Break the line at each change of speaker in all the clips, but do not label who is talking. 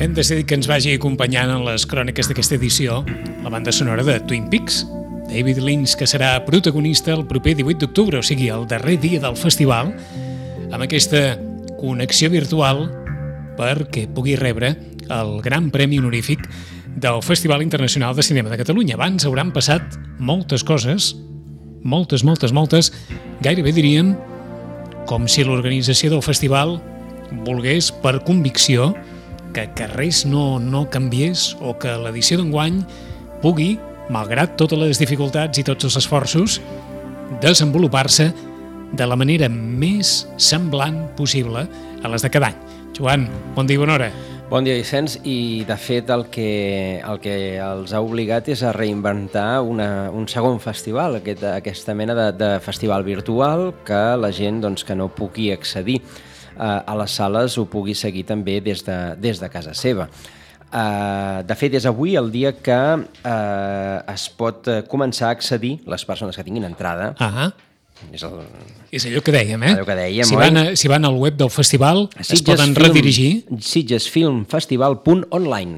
Hem decidit que ens vagi acompanyant en les cròniques d'aquesta edició la banda sonora de Twin Peaks. David Lynch, que serà protagonista el proper 18 d'octubre, o sigui, el darrer dia del festival, amb aquesta connexió virtual perquè pugui rebre el Gran Premi Honorífic del Festival Internacional de Cinema de Catalunya. Abans hauran passat moltes coses, moltes, gairebé diríem com si l'organització del festival volgués per convicció que res no canviés o que l'edició d'enguany pugui, malgrat totes les dificultats i tots els esforços, desenvolupar-se de la manera més semblant possible a les de cada any. Joan, bon dia i bona hora.
Bon dia, Vicenç, i de fet el que els ha obligat és a reinventar un segon festival, aquesta mena de festival virtual que la gent que no pugui accedir a les sales ho pugui seguir també des de casa seva. De fet, és avui el dia que es pot començar a accedir, les persones que tinguin entrada.
És allò que dèiem, eh?
Allò que dèiem,
si van al web del festival es poden redirigir.
sitgesfilmfestival.online,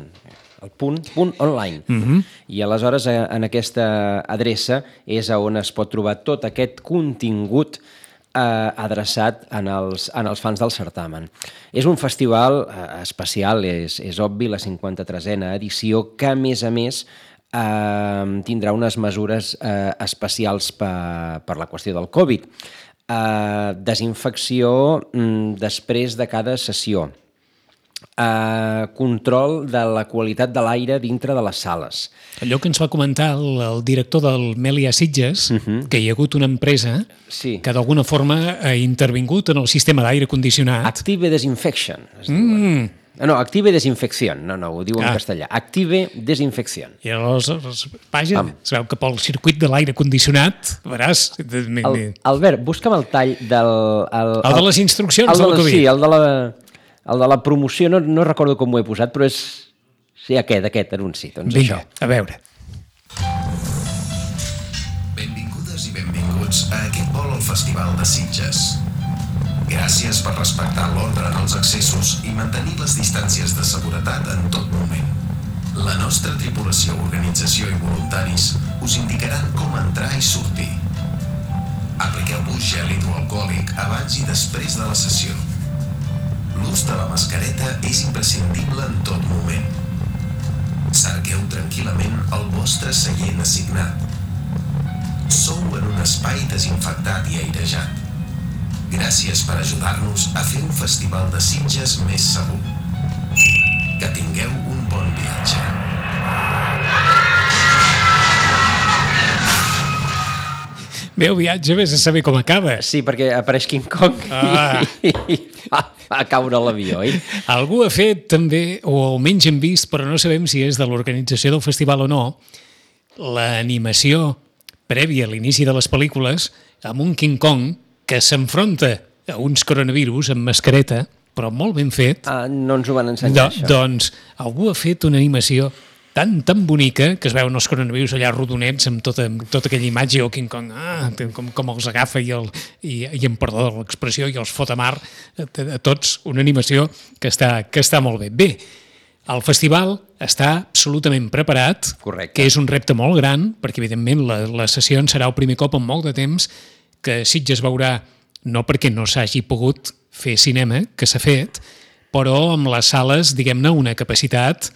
el punt online. I aleshores en aquesta adreça és on es pot trobar tot aquest contingut adreçat en els fans del certamen. És un festival especial, és obvi, la 53a edició, que a més tindrà unes mesures especials per la qüestió del Covid. Desinfecció després de cada sessió. Control de la qualitat de l'aire dintre de les sales.
Allò que ens va comentar el director del Melià Sitges, que hi ha hagut una empresa que d'alguna forma ha intervingut en el sistema d'aire condicionat.
Active Desinfection. No, Active Desinfección. No, ho diu en castellà. Active Desinfección.
I aleshores, vaja, es veu que pel circuit de l'aire condicionat, veràs...
Albert, busca'm el tall del...
El de les instruccions del Covid.
Sí, el de la promoció, no recordo com ho he posat, però és... Sí, aquest anunci. Doncs
vinga, a veure.
Benvingudes i benvinguts a aquest vol al Festival de Sitges. Gràcies per respectar l'ordre en els accessos i mantenir les distàncies de seguretat en tot moment. La nostra tripulació, organització i voluntaris us indicaran com entrar i sortir. Apliqueu-vos gel hidroalcohòlic abans i després de la sessió. L'ús de la mascareta és imprescindible en tot moment. Cerqueu tranquil·lament el vostre seient assignat. Sou en un espai desinfectat i airejat. Gràcies per ajudar-nos a fer un festival de Sitges més segur. Que tingueu un bon viatge.
Bé, el viatge, vés a saber com acaba.
Sí, perquè apareix King Kong i va caure l'avió, oi?
Algú ha fet també, o almenys hem vist, però no sabem si és de l'organització del festival o no, l'animació prèvia a l'inici de les pel·lícules amb un King Kong que s'enfronta a uns coronavirus amb mascareta, però molt ben fet.
No ens ho van ensenyar, això.
Doncs algú ha fet una animació tan bonica que es veuen els coronavirus allà rodonets amb tota aquella imatge i el King Kong com els agafa i em perdó de l'expressió i els fot a mar a tots, una animació que està molt bé. Bé, el festival està absolutament preparat.
Correcte.
Que és un repte molt gran perquè evidentment la sessió serà el primer cop en molt de temps que Sitges veurà, no perquè no s'hagi pogut fer cinema, que s'ha fet, però amb les sales, diguem-ne, una capacitat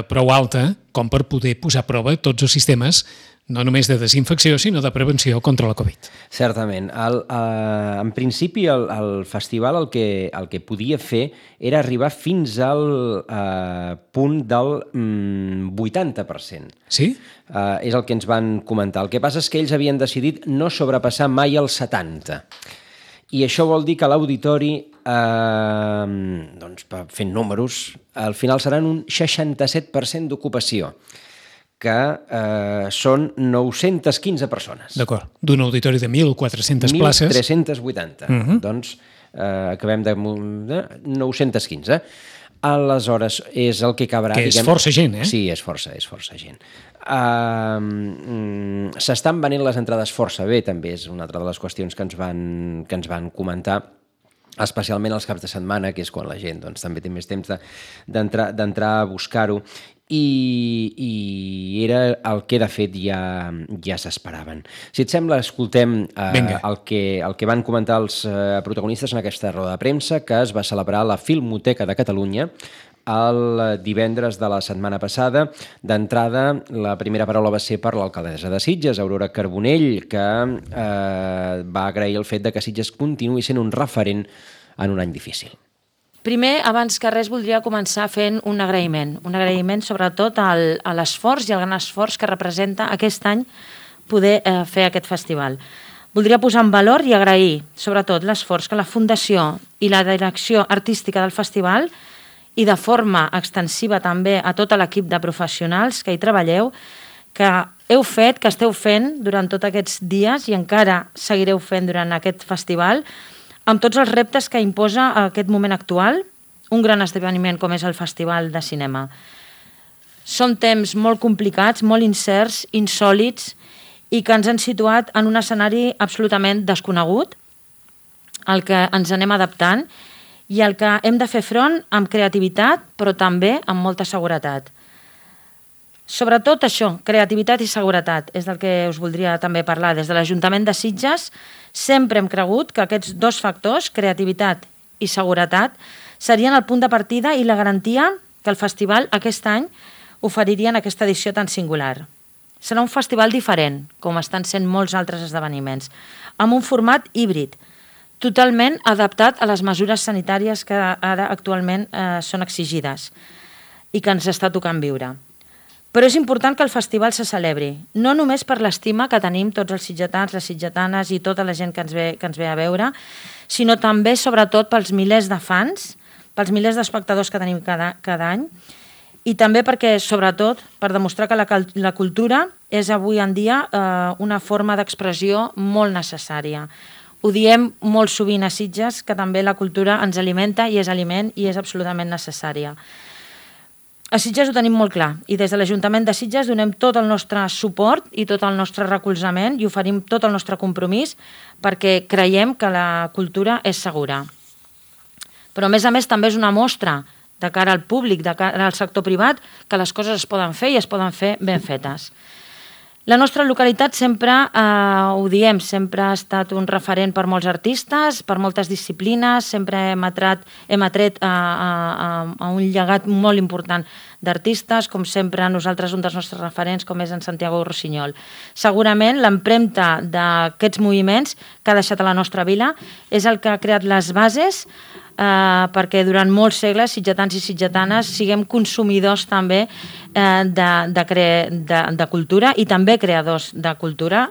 prou alta com per poder posar a prova tots els sistemes, no només de desinfecció, sinó de prevenció contra la Covid.
Certament. En principi, el festival el que podia fer era arribar fins al punt del 80%.
Sí?
És el que ens van comentar. El que passa és que ells havien decidit no sobrepassar mai el 70%. I això vol dir que l'auditori, fent números, al final seran un 67% d'ocupació, que són 915 persones.
D'acord. D'un auditori de 1.400 places.
1.380. Doncs acabem de 915. Aleshores, és el que cabrà...
Que és força gent, eh?
Sí, és força gent. S'estan venent les entrades força bé, també és una altra de les qüestions que ens van comentar, especialment els caps de setmana, que és quan la gent també té més temps d'entrar a buscar-ho, i era el que de fet ja s'esperaven. Si et sembla, escoltem el que van comentar els protagonistes en aquesta roda de premsa que es va celebrar a la Filmoteca de Catalunya el divendres de la setmana passada. D'entrada, la primera paraula va ser per l'alcaldessa de Sitges, Aurora Carbonell, que va agrair el fet de que Sitges continuï sent un referent en un any difícil.
Primer, abans que res, voldria començar fent un agraïment sobretot a l'esforç i al gran esforç que representa aquest any poder fer aquest festival. Voldria posar en valor i agrair sobretot l'esforç que la Fundació i la direcció artística del festival i de forma extensiva també a tot l'equip de professionals que hi treballeu, que heu fet, que esteu fent durant tots aquests dies i encara seguireu fent durant aquest festival, amb tots els reptes que imposa aquest moment actual, un gran esdeveniment com és el Festival de Cinema. Són temps molt complicats, molt incerts, insòlits, i que ens han situat en un escenari absolutament desconegut, al que ens anem adaptant, i al que hem de fer front amb creativitat, però també amb molta seguretat. Sobretot això, creativitat i seguretat, és del que us voldria també parlar. Des de l'Ajuntament de Sitges sempre hem cregut que aquests dos factors, creativitat i seguretat, serien el punt de partida i la garantia que el festival aquest any oferiria en aquesta edició tan singular. Serà un festival diferent, com estan sent molts altres esdeveniments, amb un format híbrid, totalment adaptat a les mesures sanitàries que ara actualment són exigides i que ens està tocant viure. Però és important que el festival se celebri, no només per l'estima que tenim tots els sitgetans, les sitgetanes i tota la gent que ens ve a veure, sinó també, sobretot, pels milers de fans, pels milers d'espectadors que tenim cada any, i també perquè, sobretot, per demostrar que la cultura és avui en dia una forma d'expressió molt necessària. Ho diem molt sovint a Sitges, que també la cultura ens alimenta i és aliment i és absolutament necessària. A Sitges ho tenim molt clar i des de l'Ajuntament de Sitges donem tot el nostre suport i tot el nostre recolzament i oferim tot el nostre compromís perquè creiem que la cultura és segura. Però a més també és una mostra de cara al públic, de cara al sector privat, que les coses es poden fer i es poden fer ben fetes. La nostra localitat sempre, ho diem, sempre ha estat un referent per molts artistes, per moltes disciplines, sempre hem atret a un llegat molt important d'artistes, com sempre nosaltres un dels nostres referents, com és en Santiago Rossinyol. Segurament l'empremta d'aquests moviments que ha deixat a la nostra vila és el que ha creat les bases perquè durant molts segles sitgetans i sitgetanes siguem consumidors també de cultura i també creadors de cultura,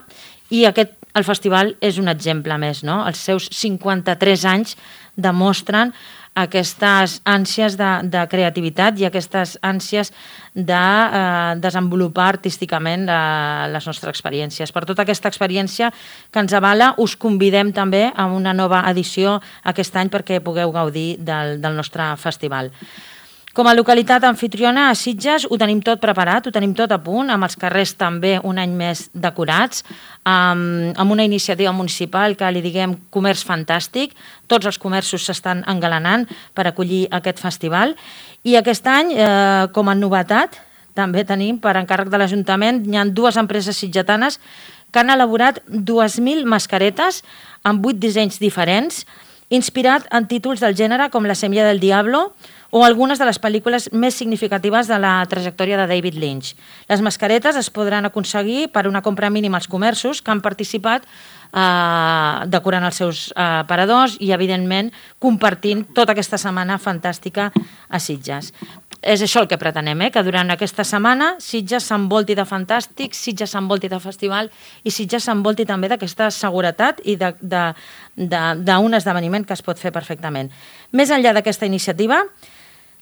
i el festival és un exemple més, no? Els seus 53 anys demostren aquestes ànsies de creativitat i aquestes ànsies de desenvolupar artísticament les nostres experiències. Per tota aquesta experiència que ens avala, us convidem també a una nova edició aquest any perquè pugueu gaudir del nostre festival. Com a localitat anfitriona a Sitges ho tenim tot preparat, ho tenim tot a punt, amb els carrers també un any més decorats, amb una iniciativa municipal que li diguem comerç fantàstic. Tots els comerços s'estan engalanant per acollir aquest festival. I aquest any, com a novetat, també tenim, per encàrrec de l'Ajuntament, hi ha 2 empreses sitgetanes que han elaborat 2.000 mascaretes amb 8 dissenys diferents inspirat en títols del gènere com La semilla del diablo o algunes de les pel·lícules més significatives de la trajectòria de David Lynch. Les mascaretes es podran aconseguir per una compra mínima als comerços que han participat decorant els seus aparadors i, evidentment, compartint tota aquesta setmana fantàstica a Sitges. És això el que pretenem, que durant aquesta setmana Sitges s'envolti de fantàstic, Sitges s'envolti de festival i Sitges s'envolti també d'aquesta seguretat i d'un esdeveniment que es pot fer perfectament. Més enllà d'aquesta iniciativa,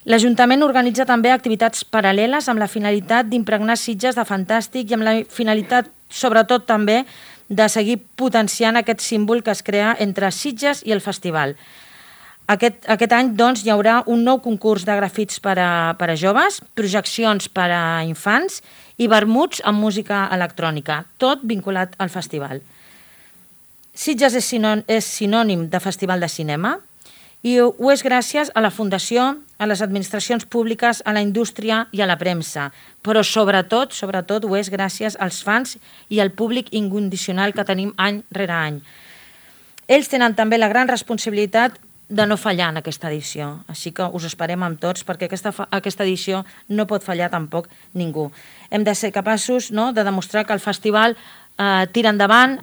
l'Ajuntament organitza també activitats paral·leles amb la finalitat d'impregnar Sitges de fantàstic i amb la finalitat, sobretot també, de seguir potenciant aquest símbol que es crea entre Sitges i el festival. Aquest any, doncs, hi haurà un nou concurs de grafits per a joves, projeccions per a infants i vermuts amb música electrònica, tot vinculat al festival. Sitges és sinònim de festival de cinema i ho és gràcies a la Fundació, a les administracions públiques, a la indústria i a la premsa, però sobretot ho és gràcies als fans i al públic incondicional que tenim any rere any. Ells tenen també la gran responsabilitat de no fallar en aquesta edició, així que us esperem amb tots perquè aquesta edició no pot fallar tampoc ningú. Hem de ser capaços de demostrar que el festival tira endavant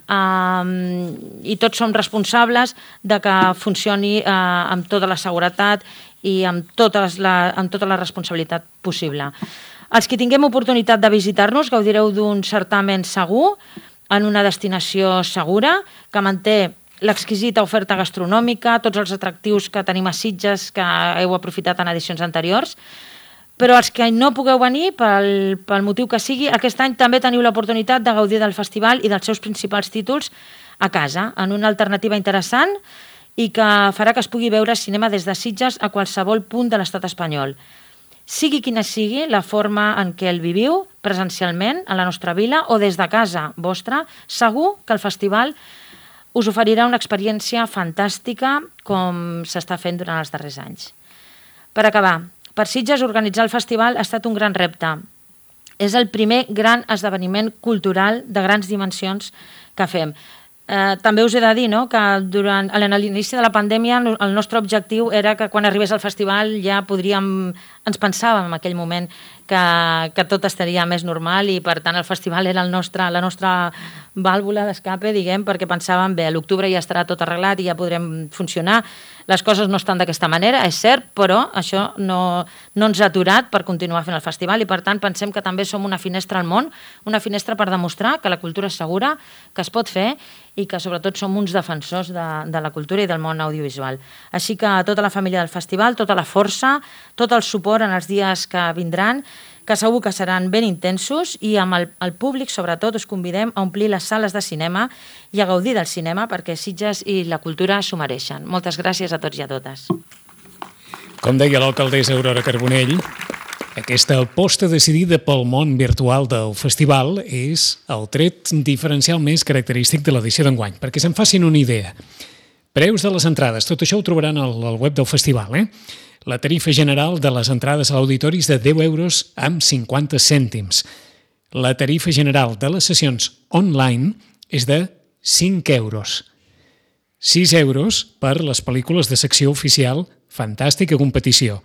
i tots som responsables de que funcioni amb tota la seguretat i amb tota la responsabilitat possible. Els que tinguem oportunitat de visitar-nos gaudireu d'un certamen segur en una destinació segura que manté l'exquisita oferta gastronòmica, tots els atractius que tenim a Sitges que heu aprofitat en edicions anteriors. Però els que no pugueu venir, pel motiu que sigui, aquest any també teniu l'oportunitat de gaudir del festival i dels seus principals títols a casa, en una alternativa interessant i que farà que es pugui veure cinema des de Sitges a qualsevol punt de l'estat espanyol. Sigui quina sigui la forma en què el viviu, presencialment, a la nostra vila o des de casa vostra, segur que el festival us oferirà una experiència fantàstica com s'està fent durant els darrers anys. Per acabar, per Sitges organitzar el festival ha estat un gran repte. És el primer gran esdeveniment cultural de grans dimensions que fem. També us he de dir que a l'inici de la pandèmia el nostre objectiu era que quan arribés el festival ja ens pensàvem en aquell moment que tot estaria més normal i per tant el festival era la nostra vàlvula d'escape, diguem, perquè pensàvem, bé, a l'octubre ja estarà tot arreglat i ja podrem funcionar. Les coses no estan d'aquesta manera, és cert, però això no ens ha aturat per continuar fent el festival i per tant pensem que també som una finestra al món, una finestra per demostrar que la cultura és segura, que es pot fer i que sobretot som uns defensors de la cultura i del món audiovisual. Així que a tota la família del festival, tota la força, tot el suport en els dies que vindran, que segur que seran ben intensos i amb el públic, sobretot, us convidem a omplir les sales de cinema i a gaudir del cinema perquè Sitges i la cultura s'ho mereixen. Moltes gràcies a tots i a totes.
Com deia l'alcaldessa Aurora Carbonell, aquesta aposta decidida pel món virtual del festival és el tret diferencial més característic de l'edició d'enguany, perquè se'n facin una idea. Preus de les entrades, tot això ho trobaran al web del festival, La tarifa general de les entrades a l'auditori és de 10 euros amb 50 cèntims. La tarifa general de les sessions online és de 5 euros. 6 euros per les pel·lícules de secció oficial Fantàstica Competició.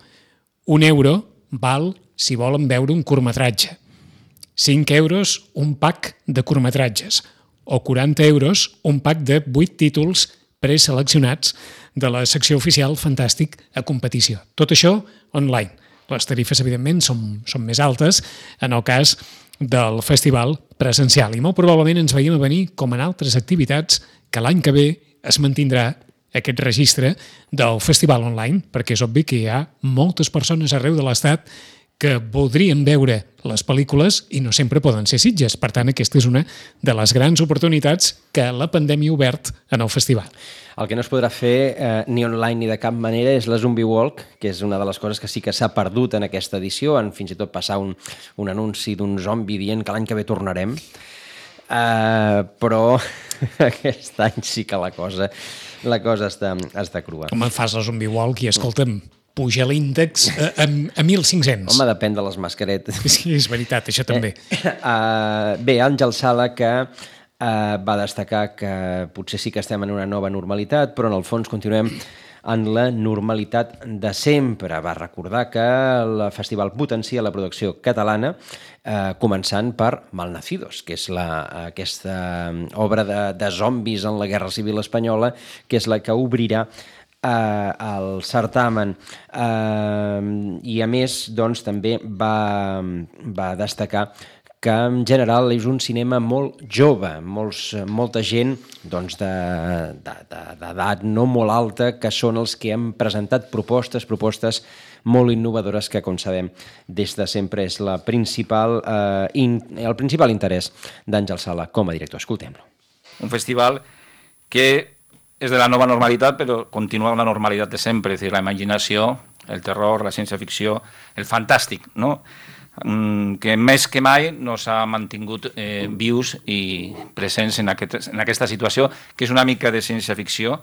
1 euro val si volen veure un curtmetratge. 5 euros un pack de curtmetratges. O 40 euros un pack de 8 títols preseleccionats de la secció oficial Fantàstic a Competició. Tot això online. Les tarifes, evidentment, són més altes en el cas del festival presencial i molt probablement ens veiem a venir, com en altres activitats, que l'any que ve es mantindrà aquest registre del festival online, perquè és obvi que hi ha moltes persones arreu de l'Estat que voldrien veure les pel·lícules i no sempre poden ser Sitges. Per tant, aquesta és una de les grans oportunitats que la pandèmia ha obert en el festival.
El que no es podrà fer ni online ni de cap manera és la Zombie Walk, que és una de les coses que sí que s'ha perdut en aquesta edició, en fins i tot passar un anunci d'un zombi dient que l'any que ve tornarem. Però aquest any sí que la cosa està crua.
Com fas la Zombie Walk i, escolta'm, puja l'índex a 1.500.
Home, depèn de les mascaretes.
Sí, és veritat, això també.
Bé, Àngel Sala, que Va destacar que potser sí que estem en una nova normalitat, però en el fons continuem en la normalitat de sempre. Va recordar que el festival potencia la producció catalana, començant per Malnacidos, que és aquesta obra de zombis en la Guerra Civil Espanyola, que és la que obrirà el certamen. I a més, doncs, també va destacar que en general és un cinema molt jove, molta gent doncs, d'edat no molt alta, que són els que han presentat propostes molt innovadores que, com sabem, des de sempre és el principal interès d'Àngel Sala com a director. Escoltem-lo.
Un festival que és de la nova normalitat, però continua amb la normalitat de sempre, és a dir, la imaginació, el terror, la ciència-ficció, el fantàstic, no?, que més que mai no s'ha mantingut vius i presents en aquesta situació, que és una mica de ciència-ficció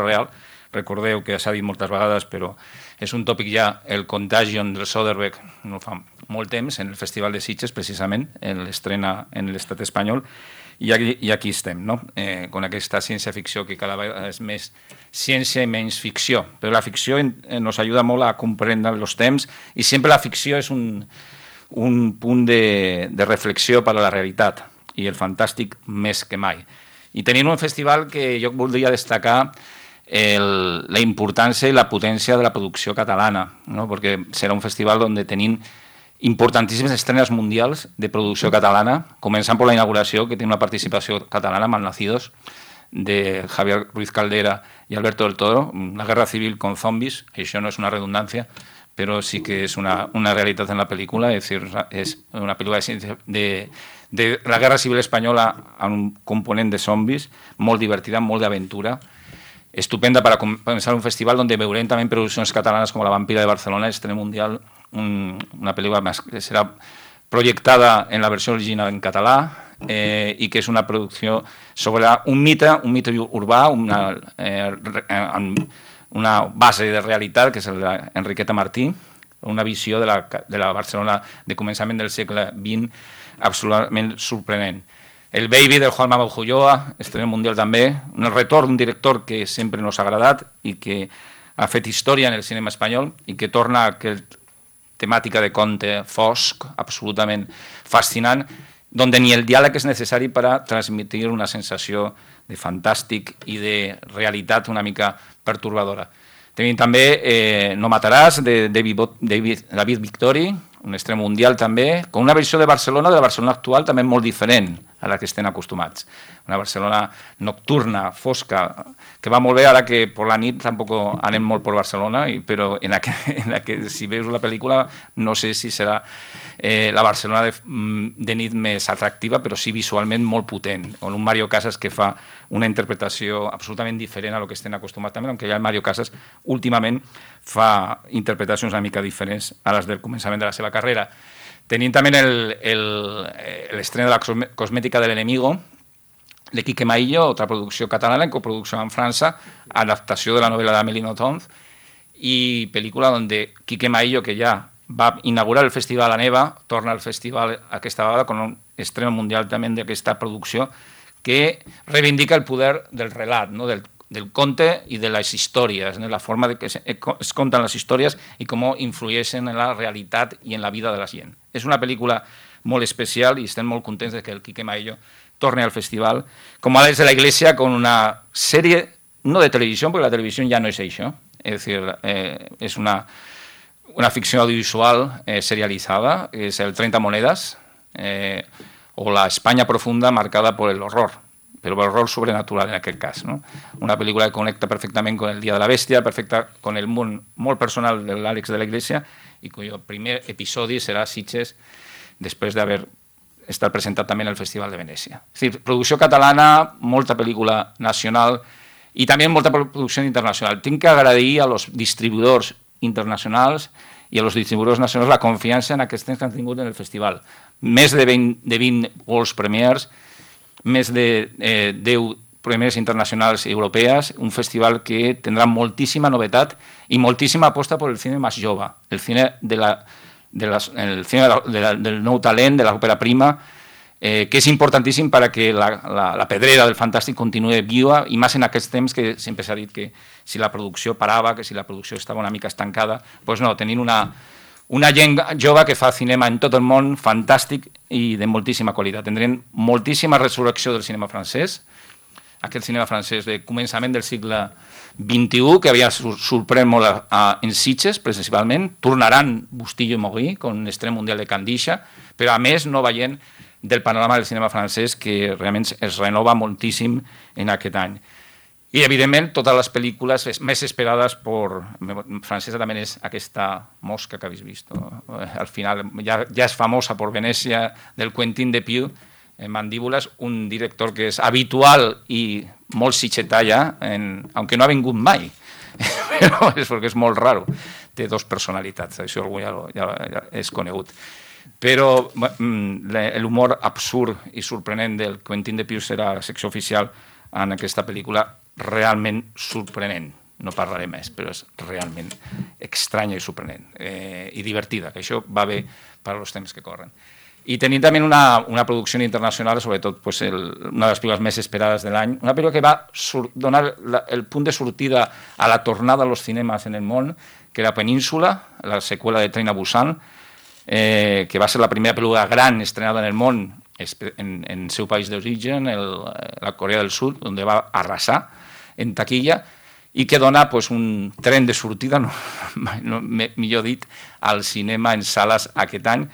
real. Recordeu que s'ha dit moltes vegades, però és un tòpic ja, el Contagion del Soderbergh, no fa molt temps, en el Festival de Sitges, precisament, l'estrena en l'estat espanyol, i aquí estem, no? Con aquesta ciència-ficció que cada vegada és més ciència i menys ficció. Però la ficció ens ajuda molt a comprendre els temps i sempre la ficció és un punt de reflexió per a la realitat i el fantàstic més que mai. I tenim un festival que jo voldria destacar la importància i la potència de la producció catalana, no? Perquè serà un festival on tenim importantíssimes estrenes mundials de producció catalana, començant per la inauguració, que té una participació catalana, Malnacidos, de Javier Ruiz Caldera i Alberto del Toro, una guerra civil con zombies, això no és una redundància, però sí que és una realitat en la pel·lícula, és una pel·lícula de la guerra civil espanyola amb un component de zombis, molt divertida, molt d'aventura, estupenda per començar un festival on veurem també produccions catalanes com La Vampira de Barcelona, estrena mundial, una pel·lícula que serà projectada en la versió original en català i que és una producció sobre un mite urbà, una base de realitat, que és l'Enriqueta Martí, una visió de la Barcelona de començament del segle XX absolutament sorprenent. El Baby, del Juan Manuel Ulloa, estrena mundial també, un retorn d'un director que sempre nos ha agradat i que ha fet història en el cinema espanyol i que torna a aquella temàtica de conte fosc, absolutament fascinant, on ni el diàleg és necessari per a transmetre una sensació de fantàstic i de realitat una mica pertorbadora. Tenim també No mataràs, de David Victori, un estrena mundial també, con una versió de la Barcelona actual també molt diferent a la que estem acostumats. Una Barcelona nocturna, fosca, que va molt bé ara que per la nit tampoc anem molt per Barcelona, però en la que si veus la pel·lícula no sé si serà la Barcelona de nit més atractiva, però sí visualment molt potent, on un Mario Casas que fa una interpretació absolutament diferent a lo que estem acostumats també, aunque ja el Mario Casas últimament fa interpretacions una mica diferents a les del començament de la seva carrera. Tenim també l'estrena de la cosmètica de l'enemigo, de Quique Maillo, otra producció catalana en coproducció amb França, adaptació de la novel·la d'Amélie Nothomb, i pel·lícula on Quique Maillo, que ja va inaugurar el Festival a Neva, torna al festival aquesta vegada con un estreno mundial també d'aquesta producció que reivindica el poder del relat, no? del conte i de les històries, la forma de que es conten les històries i com influeixen en la realitat i en la vida de la gent. És una pel·lícula molt especial i estem molt contents de que el Quique Maillo torne al festival, com Alex de la Iglesia, con una sèrie, no de televisió, perquè la televisió ja no és això, és dir, és una ficció audiovisual serializada, és el 30 monedas, o la España profunda marcada por el horror, pero el horror sobrenatural en aquest cas, ¿no? Una pel·lícula que connecta perfectament con el Día de la Bestia, perfecta con el món molt personal de l'Àlex de la Iglesia, i cuyo primer episodi serà Sitges, després d'haver estat presentat també en el Festival de Venècia. És dir, producció catalana, molta pel·lícula nacional i també molta producció internacional. Tinc que agrair a los distribuïdors internacionals i a los distribuïdors nacionals la confiança en aquests que han tingut en el festival. Més de 20 World Premiers, més de 10 premis internacionals europees, un festival que tindrà moltíssima novetat i moltíssima aposta per el cine més jove, el cine del nou talent, de l'òpera prima, que és importantíssim perquè la pedrera del fantàstic continuï viva, i més en aquests temps que sempre s'ha dit que si la producció parava, que si la producció estava una mica estancada, doncs no, tenint una gent jove que fa cinema en tot el món fantàstic i de moltíssima qualitat. Tindrem moltíssima resurrecció del cinema francès, aquest cinema francès de començament del segle XXI, que havia sorprès molt en Sitges, principalment. Tornaran Bustillo i Mogui, con l'Estrella Mundial de Candisha, però a més no veient del panorama del cinema francès, que realment es renova moltíssim en aquest any. I, evidentment, totes les pel·lícules més esperades francesa també és aquesta Mosca que habéis visto. Al final ja és famosa per Venècia, del Quentin Dupieux, Mandíbulas, un director que és habitual i molt sitgetà ja, aunque no ha vingut mai, però és perquè és molt raro. Té dos personalitats, això algú ja és conegut. Però l'humor absurd i sorprenent del Quentin Dupieux serà la secció oficial en aquesta pel·lícula realment sorprenent. No parlaré més, però és realment estranya i sorprenent i divertida, que això va bé per als temps que corren. I tenim també una producció internacional, sobretot una de les pel·lícules més esperades de l'any, una pel·lícula que va donar el punt de sortida a la tornada als cinemes en el món, que era Península, la seqüela de Train a Busan, que va ser la primera pel·lícula gran estrenada en el món en el seu país d'origen, la Corea del Sud, on va arrasar en taquilla, i que dona un tren de sortida, millor dit, al cinema en sales aquest any.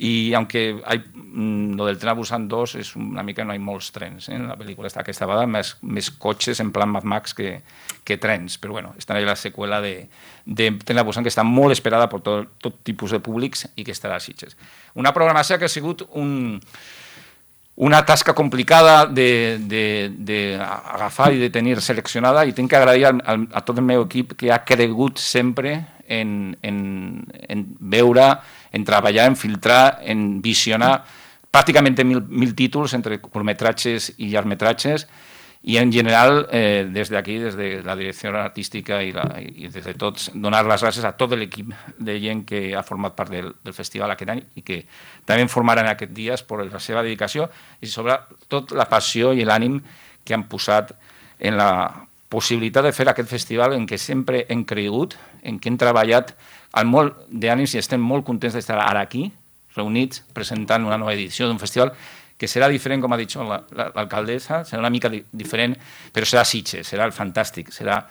I aunque lo del Tren a Busan 2 és una mica, no hi ha molts trens en la pel·lícula aquesta vegada, més cotxes en plan Mad Max que trens, però bueno, està allà la seqüela de Tren a Busan, que està molt esperada per tot tipus de públics i que estarà a Sitges. Una programació que ha sigut una tasca complicada d'agafar i de tenir seleccionada, i tinc que agrair a tot el meu equip que ha cregut sempre en veure, en treballar, en filtrar, en visionar pràcticament 1.000 títols entre curtmetratges i llargmetratges, i en general, des d'aquí, des de la direcció artística i des de tots, donar les gràcies a tot l'equip de gent que ha format part del festival aquest any i que també en formaran aquests dies per la seva dedicació i sobretot la passió i l'ànim que han posat en la possibilitat de fer aquest festival en què sempre hem cregut, en què hem treballat amb molt d'ànims i estem molt contents d'estar ara aquí, reunits, presentant una nova edició d'un festival que serà diferent, com ha dit l'alcaldessa, serà una mica diferent, però serà Sitges, serà el fantàstic, serà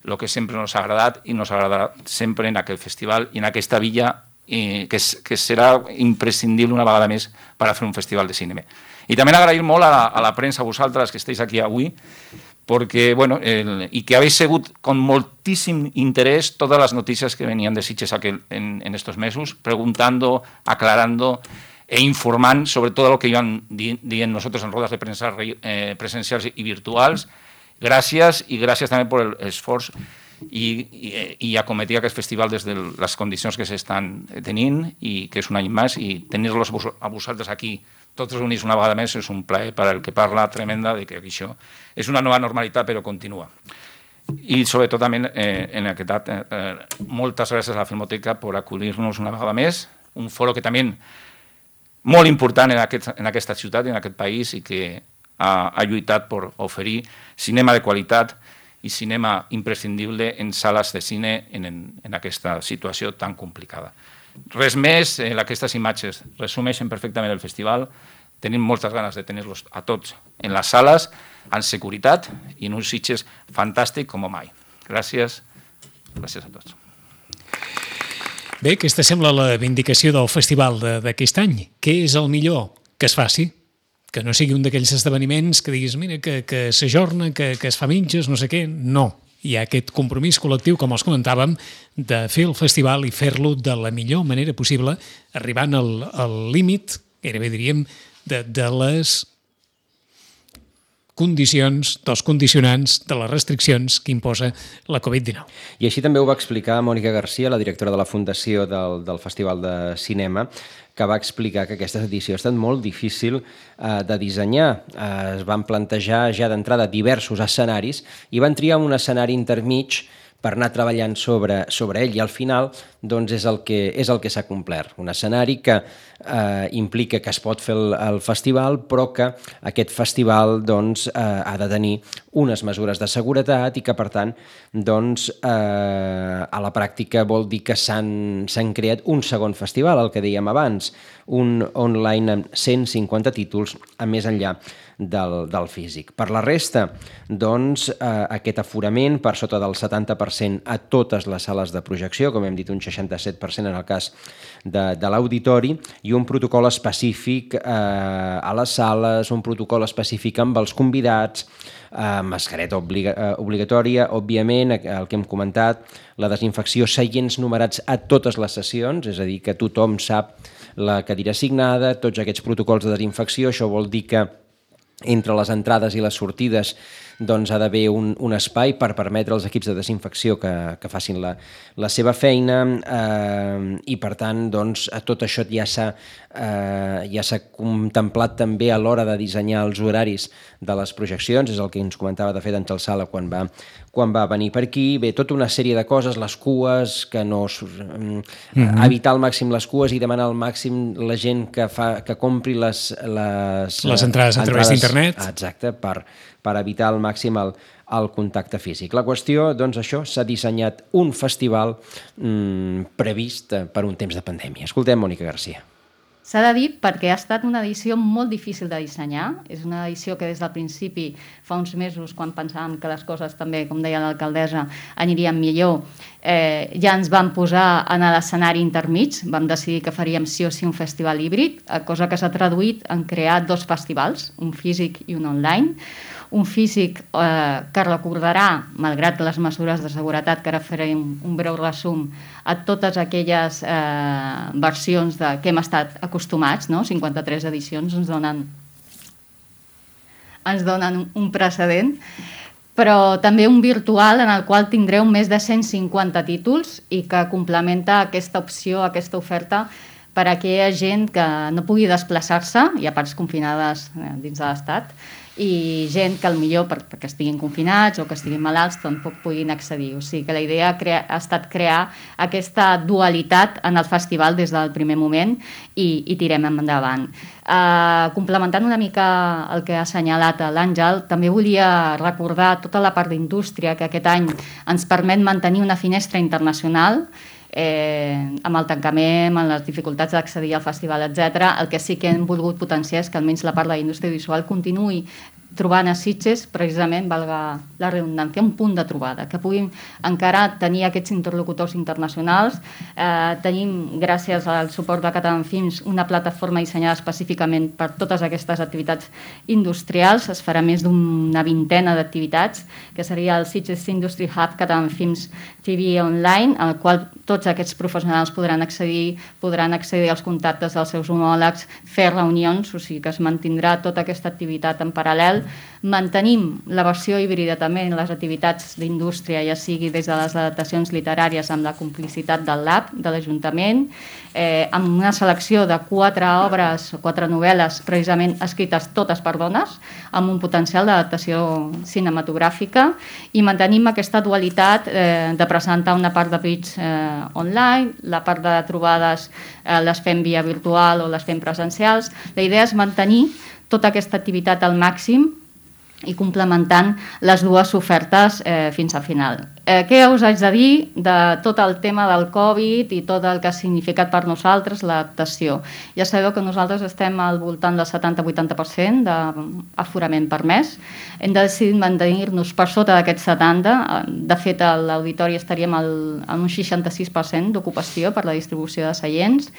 el que sempre ens ha agradat i ens agradarà sempre en aquest festival i en aquesta villa que serà imprescindible una vegada més per a fer un festival de cinema. I també agrair molt a la premsa, a vosaltres que esteu aquí avui, porque, bueno, y que habéis seguido con moltíssim interés todas las noticias que venían de Sitges en estos mesos, preguntando, aclarando e informando sobre todo lo que iban diciendo nosotros en rodas de prensa presenciales y virtuals. Gràcies, i gràcies també per l'esforç i acometir aquest festival des de les condicions que s'estan tenint i que és un any més, i tenir-los a vosaltres aquí tots reunits una vegada més és un plaer per al que parla tremenda de que això és una nova normalitat però continua. I sobretot també en aquest moltes gràcies a la Filmoteca per acollir-nos una vegada més, un foro que també molt important en aquesta ciutat i en aquest país i que ha lluitat per oferir cinema de qualitat i cinema imprescindible en sales de cine en aquesta situació tan complicada. Res més, aquestes imatges resumeixen perfectament el festival. Tenim moltes ganes de tenir-los a tots en les sales, en seguretat i en uns Sitges fantàstic com mai. Gràcies. Gràcies a tots.
Bé, aquesta sembla la vindicació del festival d'aquest any. Què és el millor? Que es faci. Que no sigui un d'aquells esdeveniments que diguis, mira, que s'ajorna, que es fa mitges, no sé què. No. Hi ha aquest compromís col·lectiu, com els comentàvem, de fer el festival i fer-lo de la millor manera possible, arribant al límit, gairebé diríem, de les condicions, dels condicionants, de les restriccions que imposa la Covid-19.
I així també ho va explicar Mònica Garcia, la directora de la Fundació del Festival de Cinema, que va explicar que aquesta edició ha estat molt difícil de dissenyar. Es van plantejar ja d'entrada diversos escenaris i van triar un escenari intermig per anar treballant sobre ell, i al final doncs, és el que s'ha complert. Un escenari que implica que es pot fer el festival, però que aquest festival doncs, ha de tenir unes mesures de seguretat i que, per tant, doncs, a la pràctica vol dir que s'han creat un segon festival, el que dèiem abans, un online amb 150 títols a més enllà del físic. Per la resta, doncs, aquest aforament per sota del 70% a totes les sales de projecció, com hem dit, un 67% en el cas de l'auditori, i un protocol específic a les sales, un protocol específic amb els convidats, mascareta obligatòria, òbviament, el que hem comentat, la desinfecció, seients numerats a totes les sessions, és a dir, que tothom sap la cadira assignada, tots aquests protocols de desinfecció. Això vol dir que entre les entrades i les sortides doncs, ha d'haver un espai per permetre als equips de desinfecció que facin la seva feina i, per tant, doncs, tot això ja s'ha contemplat també a l'hora de dissenyar els horaris de les projeccions, és el que ens comentava de fet Àngel Sala quan va venir per aquí. Bé, tota una sèrie de coses, les cues, que no evitar al màxim les cues i demanar al màxim la gent que compri les
entrades a través d'internet.
Exacte, per evitar al màxim el contacte físic. La qüestió, doncs això, s'ha dissenyat un festival previst per un temps de pandèmia. Escoltem Mònica Garcia.
S'ha de dir perquè ha estat una edició molt difícil de dissenyar. És una edició que des del principi, fa uns mesos, quan pensàvem que les coses també, com deia l'alcaldessa, anirien millor, ja ens vam posar en l'escenari intermig, vam decidir que faríem sí o sí un festival híbrid, cosa que s'ha traduït en crear 2 festivals, un físic i un online. Un físic que recordarà, malgrat les mesures de seguretat, que ara farem un breu resum, a totes aquelles versions que hem estat acostumats, no? 53 edicions ens donen un precedent, però també un virtual en el qual tindreu més de 150 títols i que complementa aquesta opció, aquesta oferta per a aquella gent que no pugui desplaçar-se, hi ha parts confinades dins de l'Estat, i gent que potser perquè estiguin confinats o que estiguin malalts tampoc puguin accedir. O sigui que la idea ha estat crear aquesta dualitat en el festival des del primer moment i tirem endavant. Complementant una mica el que ha assenyalat l'Àngel, també volia recordar tota la part d'indústria que aquest any ens permet mantenir una finestra internacional amb el tancament, amb les dificultats d'accedir al festival, etc. El que sí que hem volgut potenciar és que almenys la part de la indústria visual continuï trobant a Sitges, precisament, valga la redundància, un punt de trobada, que puguin encara tenir aquests interlocutors internacionals. Tenim, gràcies al suport de Catalan Films, una plataforma dissenyada específicament per totes aquestes activitats industrials. Es farà més d'una vintena d'activitats, que seria el Sitges Industry Hub Catalan Films TV Online, al qual tots aquests professionals podran accedir als contactes dels seus homòlegs, fer reunions, o sigui que es mantindrà tota aquesta activitat en paral·lel. Mantenim la versió híbrida també en les activitats d'indústria, ja sigui des de les adaptacions literàries amb la complicitat del Lab, de l'Ajuntament, amb una selecció de 4 obres, 4 novel·les precisament escrites totes per dones, amb un potencial d'adaptació cinematogràfica, i mantenim aquesta dualitat de presentar una part de pitch online, la part de trobades les fem via virtual o les fem presencials. La idea és mantenir tota aquesta activitat al màxim i complementant les dues ofertes fins al final. Què us haig de dir de tot el tema del Covid i tot el que ha significat per nosaltres l'adaptació? Ja sabeu que nosaltres estem al voltant del 70-80% d'aforament permès. Hem decidit mantenir-nos per sota d'aquest 70%. De fet, a l'auditori estaríem en un 66% d'ocupació per la distribució de seients.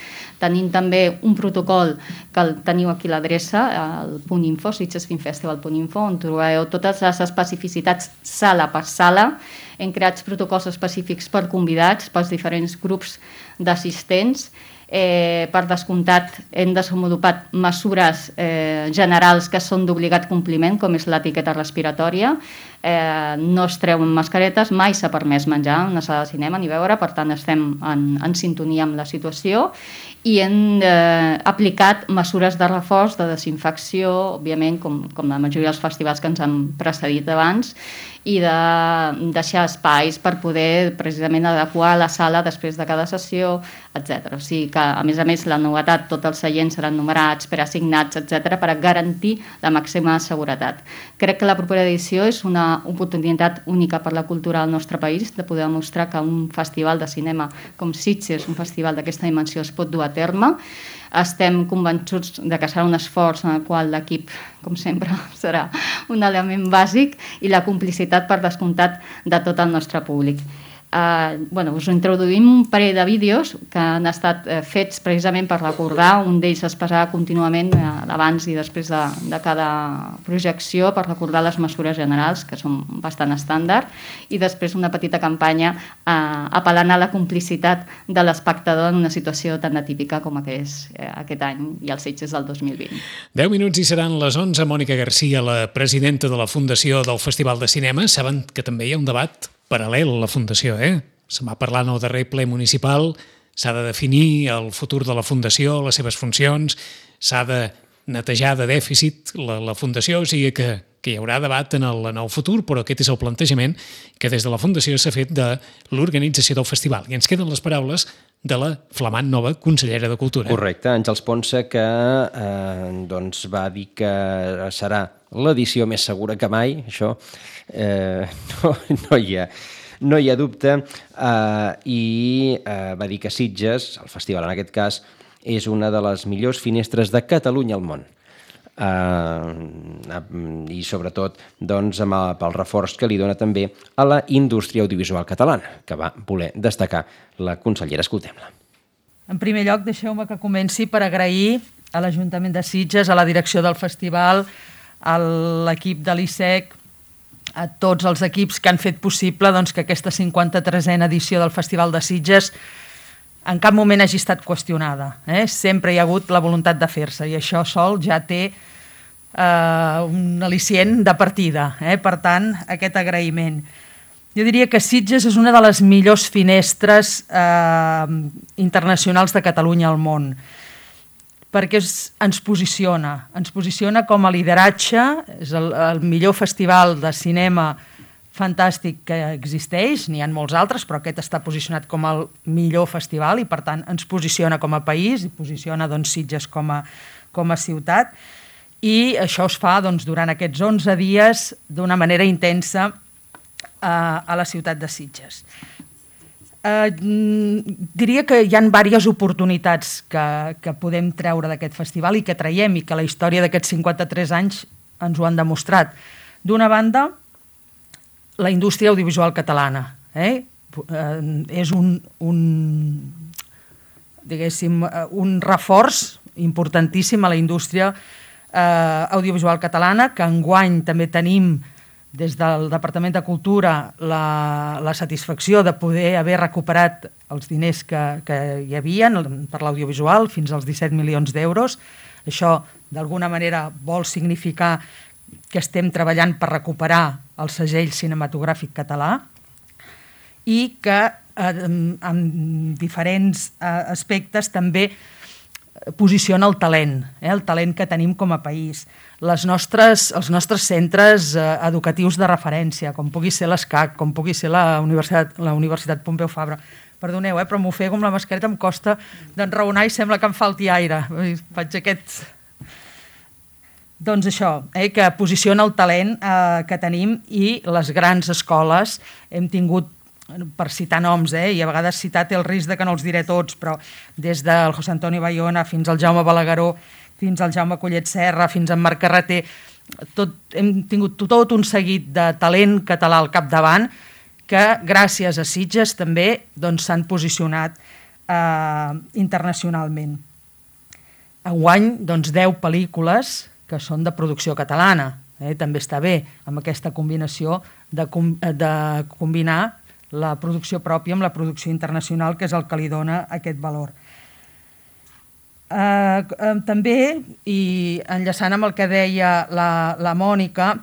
Tenim també un protocol que el teniu aquí a l'adreça, el .info, sitgesfilmfestival.info, on trobeu totes les especificitats sala per sala. Hem creat protocols específics per convidats, pels diferents grups d'assistents. Per descomptat, hem desenvolupat mesures generals que són d'obligat compliment, com és l'etiqueta respiratòria. No es treuen mascaretes, mai s'ha permès menjar en una sala de cinema ni veure, per tant estem en sintonia amb la situació, i hem aplicat mesures de reforç, de desinfecció, òbviament, com la majoria dels festivals que ens han precedit abans, i de deixar espais per poder precisament adequar la sala després de cada sessió, etc. O sigui que, a més, la novetat, tots els seients seran numerats, preassignats, etc., per garantir la màxima seguretat. Crec que la propera edició és una oportunitat única per la cultura del nostre país, de poder demostrar que un festival de cinema com Sitges, un festival d'aquesta dimensió, es pot dur a terme. Estem convençuts de que serà un esforç en el qual l'equip, com sempre, serà un element bàsic i la complicitat, per descomptat, de tot el nostre públic. Us introduïm un parell de vídeos que han estat fets precisament per recordar. Un d'ells es passarà contínuament abans i després de cada projecció per recordar les mesures generals, que són bastant estàndard, i després una petita campanya apel·lant a la complicitat de l'espectador en una situació tan atípica com és aquest any i els Sitges del 2020.
10 minuts i seran les 11. Mònica Garcia, la presidenta de la Fundació del Festival de Cinema. Saben que també hi ha un debat paral·lel a la Fundació, Se'n va parlar en el darrer ple municipal, s'ha de definir el futur de la Fundació, les seves funcions, s'ha de netejar de dèficit la Fundació, o sigui que hi haurà debat en el futur, però aquest és el plantejament que des de la Fundació s'ha fet de l'organització del festival. I ens queden les paraules de la flamant nova consellera de Cultura.
Correcte, Àngels Ponsa, que va dir que serà l'edició més segura que mai, això no hi ha dubte, i va dir que Sitges, el festival en aquest cas, és una de les millors finestres de Catalunya al món. I sobretot pel reforç que li dona també a la indústria audiovisual catalana, que va voler destacar la consellera. Escoltem-la.
En primer lloc, deixeu-me que comenci per agrair a l'Ajuntament de Sitges, a la direcció del festival, a l'equip de l'ISEC, a tots els equips que han fet possible que aquesta 53a edició del Festival de Sitges en cap moment hagi estat qüestionada. Sempre hi ha hagut la voluntat de fer-se i això sol ja té un al·licient de partida. Per tant, aquest agraïment. Jo diria que Sitges és una de les millors finestres internacionals de Catalunya al món, perquè ens posiciona com a lideratge, és el millor festival de cinema fantàstic que existeix, n'hi ha molts altres, però aquest està posicionat com el millor festival i, per tant, ens posiciona com a país i posiciona Sitges com a ciutat. I això es fa durant aquests 11 dies d'una manera intensa a la ciutat de Sitges. Diria que hi ha diverses oportunitats que podem treure d'aquest festival i que traiem i que la història d'aquests 53 anys ens ho han demostrat. D'una banda, la indústria audiovisual catalana. És un reforç importantíssim a la indústria audiovisual catalana, que enguany també tenim des del Departament de Cultura la satisfacció de poder haver recuperat els diners que hi havia per l'audiovisual, fins als 17 milions d'euros. Això, d'alguna manera, vol significar que estem treballant per recuperar el segell cinematogràfic català i que en diferents aspectes també posiciona el talent que tenim com a país. Els nostres centres educatius de referència, com pugui ser l'ESCAC, com pugui ser la Universitat Pompeu Fabra. Perdoneu, però m'ofego amb la mascareta, em costa d'enraonar i sembla que em falti aire. Faig aquest... Doncs això, que posiciona el talent que tenim i les grans escoles. Hem tingut, per citar noms, i a vegades citar té el risc de que no els diré tots, però des del José Antonio Bayona fins al Jaume Balagueró, fins al Jaume Collet Serra, fins al Marc Carreter, hem tingut tot un seguit de talent català al capdavant que gràcies a Sitges també s'han posicionat internacionalment. Enguany, 10 pel·lícules que són de producció catalana. També està bé amb aquesta combinació de combinar la producció pròpia amb la producció internacional, que és el que li dona aquest valor. També, i enllaçant amb el que deia la Mònica,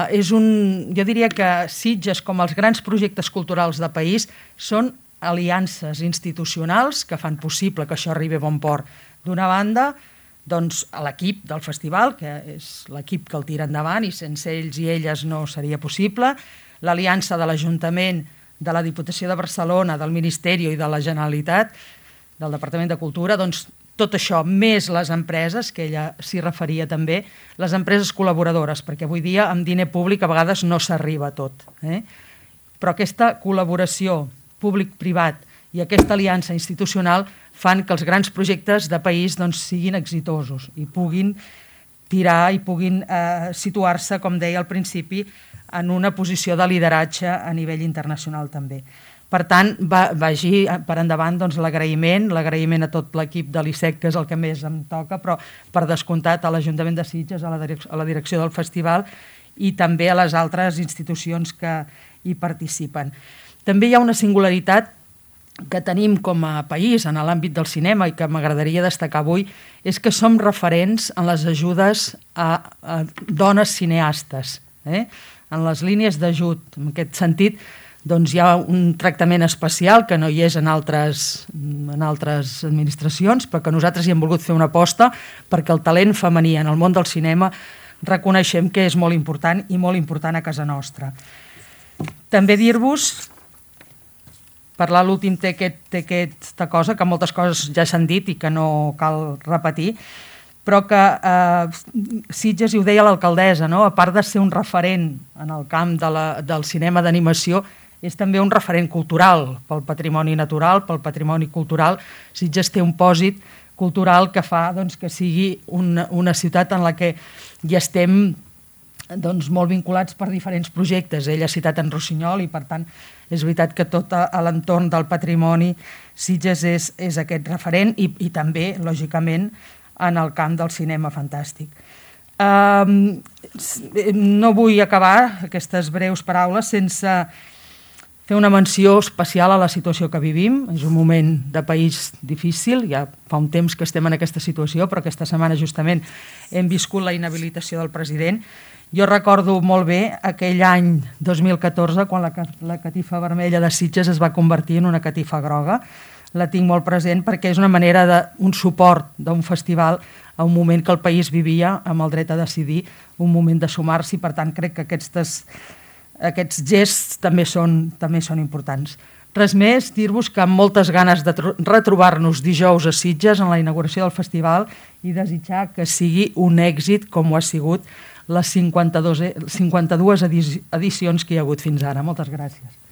jo diria que Sitges, com els grans projectes culturals de país, són aliances institucionals que fan possible que això arribi a bon port. D'una banda, doncs, a l'equip del festival, que és l'equip que el tira endavant i sense ells i elles no seria possible, l'aliança de l'Ajuntament, de la Diputació de Barcelona, del Ministeri i de la Generalitat, del Departament de Cultura, doncs tot això, més les empreses, que ella s'hi referia també, les empreses col·laboradores, perquè avui dia amb diner públic a vegades no s'arriba a tot. Però aquesta col·laboració públic-privat i aquesta aliança institucional fan que els grans projectes de país doncs, siguin exitosos i puguin tirar i puguin situar-se, com deia al principi, en una posició de lideratge a nivell internacional també. Per tant, vagi per endavant doncs, l'agraïment a tot l'equip de l'ISEC, que és el que més em toca, però per descomptat a l'Ajuntament de Sitges, a la direcció del festival i també a les altres institucions que hi participen. També hi ha una singularitat que tenim com a país en l'àmbit del cinema i que m'agradaria destacar avui, és que som referents en les ajudes a dones cineastes. En les línies d'ajut, en aquest sentit, doncs hi ha un tractament especial que no hi és en altres administracions, però que nosaltres hi hem volgut fer una aposta perquè el talent femení en el món del cinema reconeixem que és molt important i molt important a casa nostra. També dir-vos, parlar l'últim té aquesta cosa, que moltes coses ja s'han dit i que no cal repetir, però que Sitges, i ho deia l'alcaldessa, a part de ser un referent en el camp del cinema d'animació, és també un referent cultural pel patrimoni natural, pel patrimoni cultural. Sitges té un pòsit cultural que fa que sigui una ciutat en la que hi estem molt vinculats per diferents projectes. Ell ha citat en Rossinyol i, per tant, és veritat que tot l'entorn del patrimoni Sitges és aquest referent i també, lògicament, en el camp del cinema fantàstic. No vull acabar aquestes breus paraules sense fer una menció especial a la situació que vivim. És un moment de país difícil, ja fa un temps que estem en aquesta situació, però aquesta setmana justament hem viscut la inhabilitació del president. Jo recordo molt bé aquell any 2014 quan la catifa vermella de Sitges es va convertir en una catifa groga. La tinc molt present perquè és una manera d'un suport d'un festival a un moment que el país vivia amb el dret a decidir, un moment de sumar-s'hi, per tant crec que aquests gests també són importants. Res més, dir-vos que amb moltes ganes de retrobar-nos dijous a Sitges en la inauguració del festival i desitjar que sigui un èxit com ho ha sigut les 52 edicions que hi ha hagut fins ara. Moltes gràcies.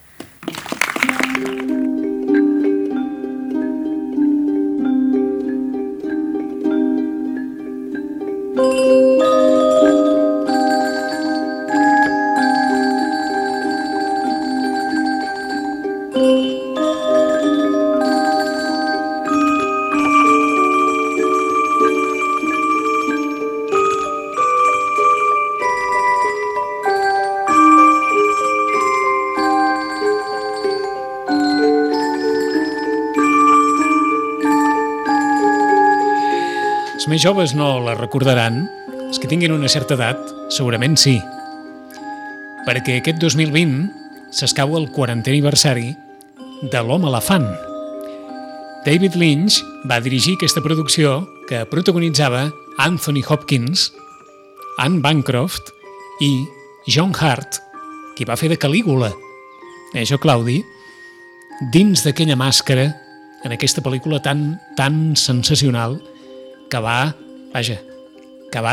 Els més joves no la recordaran, els que tinguin una certa edat segurament sí, perquè aquest 2020 s'escau el 40è aniversari de l'Home Elefant. David Lynch va dirigir aquesta producció que protagonitzava Anthony Hopkins, Anne Bancroft i John Hurt, qui va fer de Calígula, això Claudi, dins d'aquella màscara en aquesta pel·lícula tan sensacional que va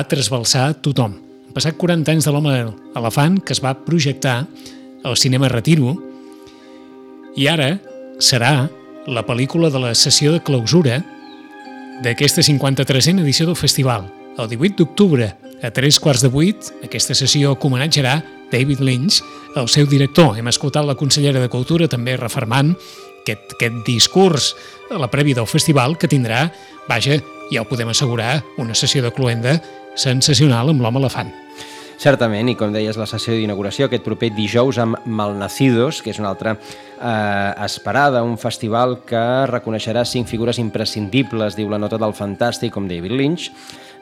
trasbalsar tothom. Han passat 40 anys de l'Home Elefant, que es va projectar al cinema Retiro, i ara serà la pel·lícula de la sessió de clausura d'aquesta 53a edició del festival. El 18 d'octubre, a 7:15, aquesta sessió homenatjarà David Lynch, el seu director. Hem escoltat la consellera de Cultura també refermant aquest discurs a la prèvia del festival que tindrà, ja ho podem assegurar, una sessió de cloenda sensacional amb l'Home Elefant.
Certament, i com deies, la sessió d'inauguració aquest proper dijous amb Malnacidos, que és una altra esperada, un festival que reconeixerà 5 figures imprescindibles, diu la nota del fantàstic, com David Lynch,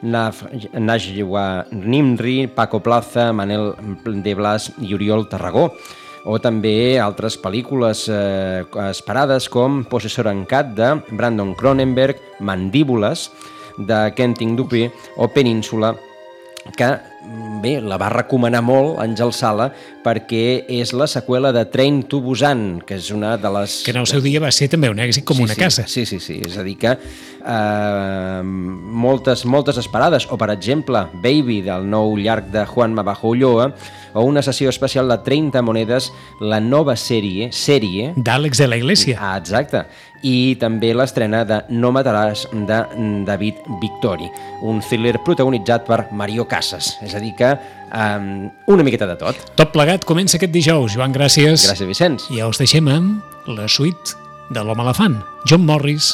Najwa Nimri, Paco Plaza, Manel de Blas i Oriol Tarragó, o també altres pel·lícules esperades com Possessor en Cat de Brandon Cronenberg, Mandíbules, de Quentin Dupieux, o Península, que bé, la va recomanar molt Àngel Sala perquè és la seqüela de Train to Busan, que és una de les...
Que en el seu dia va ser també un èxit com una casa.
Sí, és a dir que moltes esperades, o per exemple Baby, del nou llarg de Juan Mabajo Ulloa, o una sessió especial de 30 monedes, la nova sèrie
d'Àlex de la Iglesia.
Exacte. I també l'estrena de No mataràs, de David Victori, un thriller protagonitzat per Mario Casas. És a dir que una miqueta de tot.
Tot plegat comença aquest dijous. Joan, gràcies.
Gràcies, Vicenç.
I ja us deixem amb la suite de l'Home Elefant. John Morris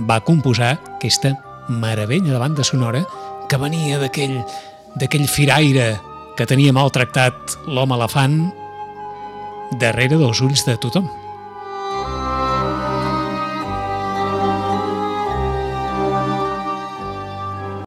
va composar aquesta meravella de banda sonora que venia d'aquell firaire que tenia maltractat l'Home Elefant darrere dels ulls de tothom.